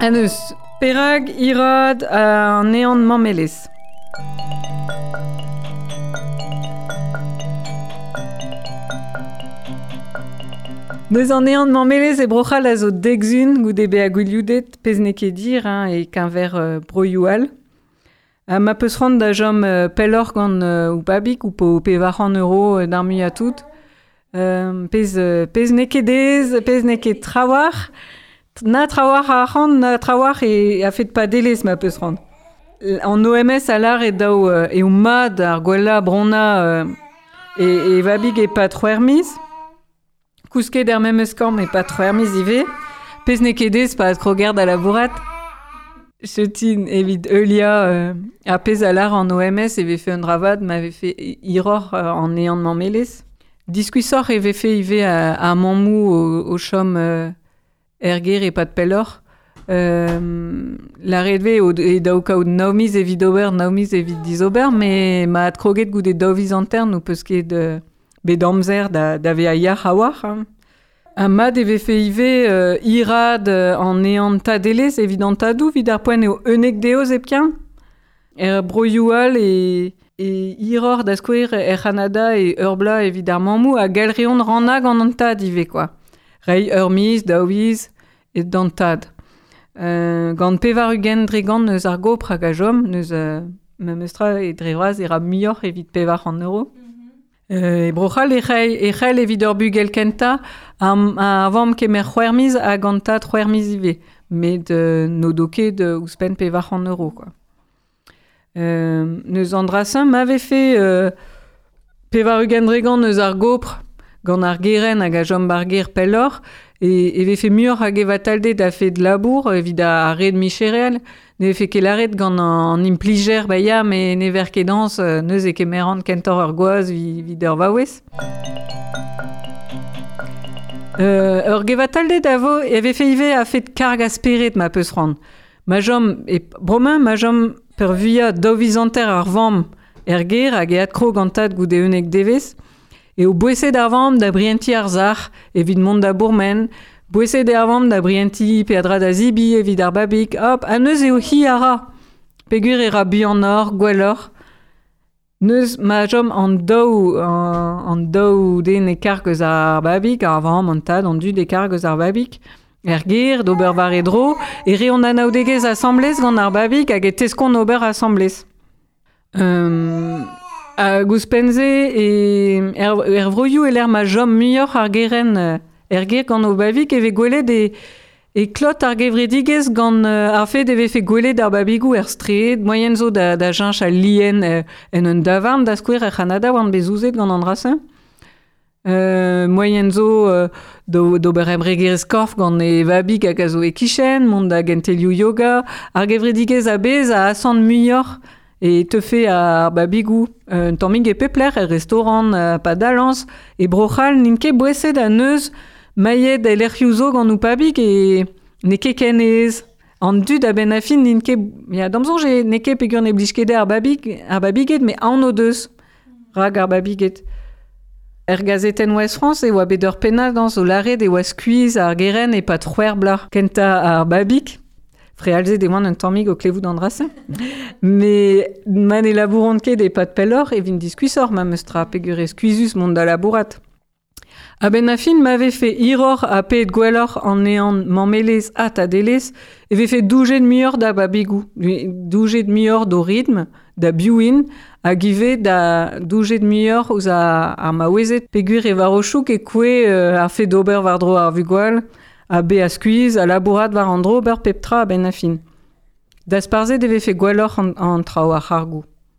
Ha neus, perak irad an ehan mammelezh? Neus an ehan mammelezh e Bro-C'hall a zo dek sun goude bezañ gwilioudet, pezh n'eo ket dir hein, e-keñver broioù all. Ha ma peus c'hoant da chom pelloc'h gant ho pabig ou po 400 euro d'ar muiañ tout, pezh, pezh n'eo ket aes, pezh n'eo ket trawalc'h, na trawalc'h a arc'hant, na trawalc'h e a-fet padelezh ma peus c'hoant. An OMS a lâr eo dav eo mat ar gwellañ bronnañ e vabig e-pad c'hwec'h miz. Kousket er memes kambr e-pad c'hwec'h miz ivez. Pezh n'eo ket aes pa kroger da labourat. Setu evit heuliañ ar pezh a lâr an OMS e vefe un dra vat ma vefe hiroc'h an ehan mammelezh. Diskuizhoc'h e vefe ivez ar mammoù o chom er gêr e-pad pelloc'h. Lâret 'vez eo dav kaout nav miz evit ober, nav miz evit dizober, met ma adkroget goude daou viz hanter n'ho peus ket bet amzer da vezañ yac'h a-walc'h. Hein. Ha mat e vefe ivez hiraat an ehan tadelezh evit an tadoù evit ar poent eo 11 deoz hepken. Er broioù all e hiroc'h da skouer er C'hanada e ur bloaz evit ar mammoù ha gall reont rannañ gant an tad ivez quoi. Reiñ ur miz, daou viz d'an tad. Gant 80% eus ar gopr hag a chom, n'eus memestra e dre vras e ra muioc'h evit 400 euro. E Bro-C'hall e c'hell evit ur bugel kentañ ar vamm kemer c'hwec'h miz hag an tad c'hwec'h miz ivez. Met n'o do ket ouzhpenn 400 euro quoi. Neus an dra-se ma vefe 80% eus ar gopr gant ar gerent hag a chom ba'r gêr pelloc'h e vefe muioc'h a gevatalded a-fet labour evit ar red micherel. Ne vefe ket lâret gant an implijer ba ya met ne ver ket dañs neuze e kemeran kentoc'h ur gwaz evit ur vaouez. Ur gevatalded a vo e vefe ivez a-fet karg a spered ma peus c'hoant. Ma chom e bremañ ma chom peurvuiañ daou viz hanter ar vamm er gêr hag e adkrog an tad goude 11 devezh eo boeset ar vamm da brientiñ ar sac'h evit mont da bourmen, boeset eo ar vamm da brientiñ peadra da zebriñ evit ar babig, hop, ha neuze eo hi a ra. Peogwir e ra buanoc'h, gwelloc'h. Neuze ma chom an daou den e karg eus ar babig, ar vamm, an tad, an dud e karg eus ar babig, er gêr d'ober war e dro, e reont anaoudegezh asambles gant ar babig hag e teskont ober asambles. Hag ouzhpenn-se er vroioù e-lec'h ma chom muioc'h ar gerent er gêr gant o babig e vez gwelet e klot ar gevredigezh gant ar fed e vefe gwelet ar babigoù er straed, moaien zo da cheñch al lien en un davarn da skouer er C'hanada oan bet souzet gant an dra-se. Moaien zo d'ober embregerezh korf gant e vabig hag a zo e-kichen, mont da gentelioù yoga. Ar gevredigezh a-bezh a asant muioc'h e teufe ar babigoù un tammig e pep lec'h, er restaurant, pa dalañs. E Bro-C'hall n'int ket boeset a-neuz mailhed e lec'hioù zo gant o pabig e n'eo ket ken aes. An dud a-benn ar fin n'int ket... Ya, d'am soñj n'eo ket peogwir ne blij ket dezhe ar babig, ar babiged, met aon o deus rak ar babiged. Er gazetenn Ouest-France e oa bet ur pennad dañs o lâret e oa skuizh ar gerent e-pad c'hwec'h bloaz kentañ ar babig. Frealzet e oan un tammig o klevout an dra-se. Met ma ne labouront ket e-pad pelloc'h e vint diskuizhoc'h memes tra peogwir eo skuizhus mont da labourat. A-benn ar fin ma vefe hiroc'h ha paeet gwelloc'h an ehan mammelezh ha tadelezh e vefe doujet muioc'h da babigoù, doujet muioc'h d'o ritm, da biv int, hag ivez da doujet muioc'h ouzh ar maouezed peogwir e war o chouk e kouezh ar fed d'ober war-dro ar vugale ha bezañ skuizh ha labourat war an dro ober pep tra a-benn ar fin. Dasparzhet e vefe gwelloc'h an traoù ar c'hargoù.